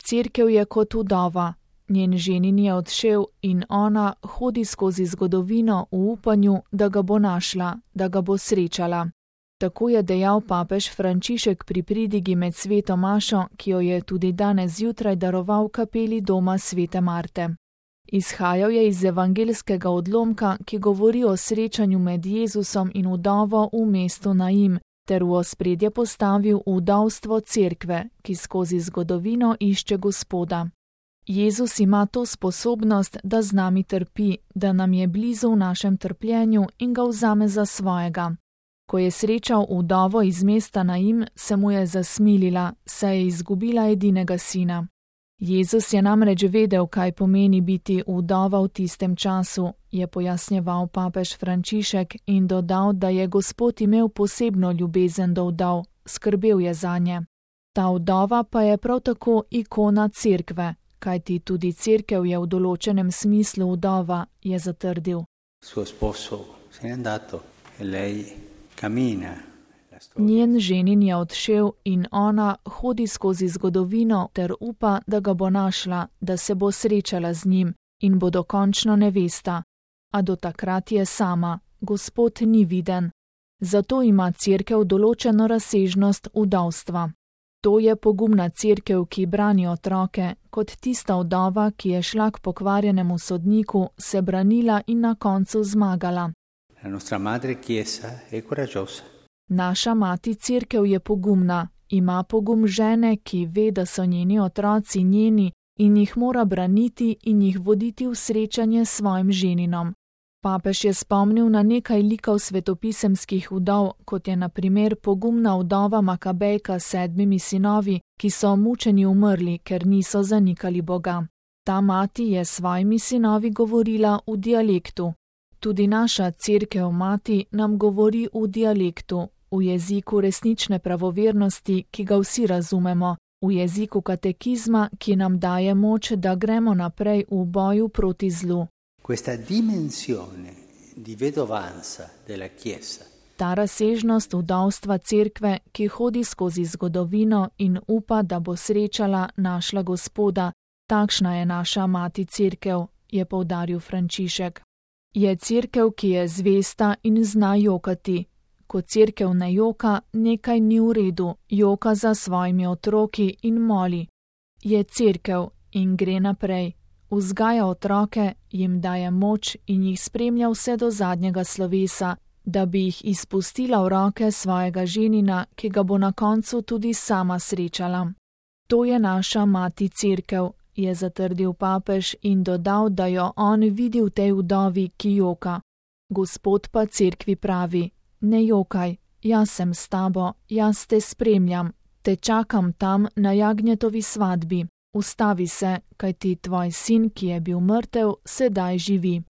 Cerkev je kot vdova, njen ženin je odšel in ona hodi skozi zgodovino v upanju, da ga bo našla, da ga bo srečala. Tako je dejal papež Frančišek pri pridigi med sveto mašo, ki jo je tudi danes zjutraj daroval kapeli doma svete Marte. Izhajal je iz evangeljskega odlomka, ki govori o srečanju med Jezusom in vdovo v mestu Naim, ter v ospredje postavil vdovstvo cerkve, ki skozi zgodovino išče Gospoda. Jezus ima to sposobnost, da z nami trpi, da nam je blizu v našem trpljenju in ga vzame za svojega. Ko je srečal vdovo iz mesta Naim, se mu je zasmilila, saj je izgubila edinega sina. Jezus je namreč vedel, kaj pomeni biti vdova v tistem času, je pojasnjeval papež Frančišek in dodal, da je Gospod imel posebno ljubezen do vdov, skrbel je zanje. Ta vdova pa je prav tako ikona cerkve, kajti tudi cerkev je v določenem smislu vdova, je zatrdil. Suo sposo se je andato e lei cammina. Njen ženin je odšel in ona hodi skozi zgodovino ter upa, da ga bo našla, da se bo srečala z njim in bo dokončno nevesta. A do takrat je sama, Gospod ni viden. Zato ima cerkev določeno razsežnost vdovstva. To je pogumna cerkev, ki brani otroke, kot tista vdova, ki je šla k pokvarjenemu sodniku, se branila in na koncu zmagala. La nostra madre Chiesa è coraggiosa. Naša mati cerkev je pogumna, ima pogum žene, ki ve, da so njeni otroci njeni in jih mora braniti in jih voditi v srečanje s svojim ženinom. Papež je spomnil na nekaj likov svetopisemskih vdov, kot je na primer pogumna vdova Makabejka s 7 sinovi, ki so mučeni umrli, ker niso zanikali Boga. Ta mati je s svojimi sinovi govorila v dialektu. Tudi naša cerkev mati nam govori v dialektu, v jeziku resnične pravovernosti, ki ga vsi razumemo, v jeziku katekizma, ki nam daje moč, da gremo naprej v boju proti zlu. Questa dimensione di vedovanza della Chiesa. Ta razsežnost vdovstva cerkve, ki hodi skozi zgodovino in upa, da bo srečala, našla Gospoda, takšna je naša mati cerkev, je poudaril Frančišek. Je cerkev, ki je zvesta in zna jokati. Ko cerkev ne joka, nekaj ni v redu, joka za svojimi otroki in moli. Je cerkev in gre naprej. Vzgaja otroke, jim daje moč in jih spremlja vse do zadnjega slovesa, da bi jih izpustila v roke svojega ženina, ki ga bo na koncu tudi sama srečala. To je naša mati cerkev, je zatrdil papež in dodal, da jo on vidi v tej vdovi, ki joka. Gospod pa cerkvi pravi: ne jokaj, jaz sem s tabo, jaz te spremljam, te čakam tam na jagnjetovi svadbi. Ustavi se, kajti tvoj sin, ki je bil mrtev, sedaj živi.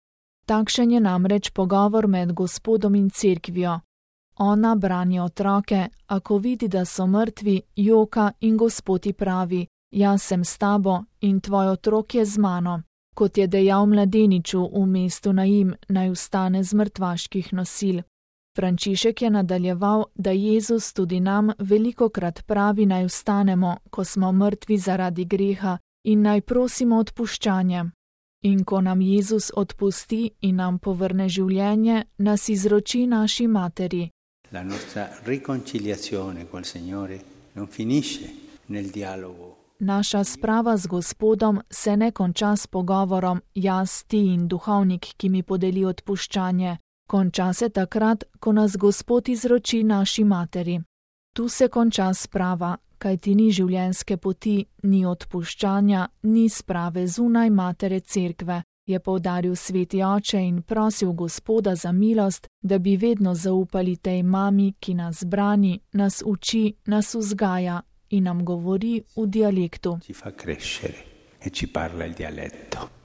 Takšen je namreč pogovor med Gospodom in cerkvijo. Ona brani otroke, a ko vidi, da so mrtvi, joka in Gospod ji pravi: jaz sem s tabo in tvoj otrok je z mano. Kot je dejal mladeniču v mestu Naim, naj vstane z mrtvaških nosil. Frančišek je nadaljeval, da Jezus tudi nam velikokrat pravi, naj vstanemo, ko smo mrtvi zaradi greha, in naj prosimo odpuščanje. In ko nam Jezus odpusti in nam povrne življenje, nas izroči naši materi. La nostra riconciliazione col Signore non finisce nel dialogo. Naša sprava z Gospodom se ne konča s pogovorom jaz, ti in duhovnik, ki mi podeli odpuščanje. Konča se takrat, ko nas Gospod izroči naši materi. Tu se konča sprava, kajti ni življenjske poti, ni odpuščanja, ni sprave zunaj matere cerkve, je poudaril sveti oče in prosil Gospoda za milost, da bi vedno zaupali tej mami, ki nas brani, nas uči, nas vzgaja in nam govori v dialektu. Ci fa crescere e ci parla il dialetto.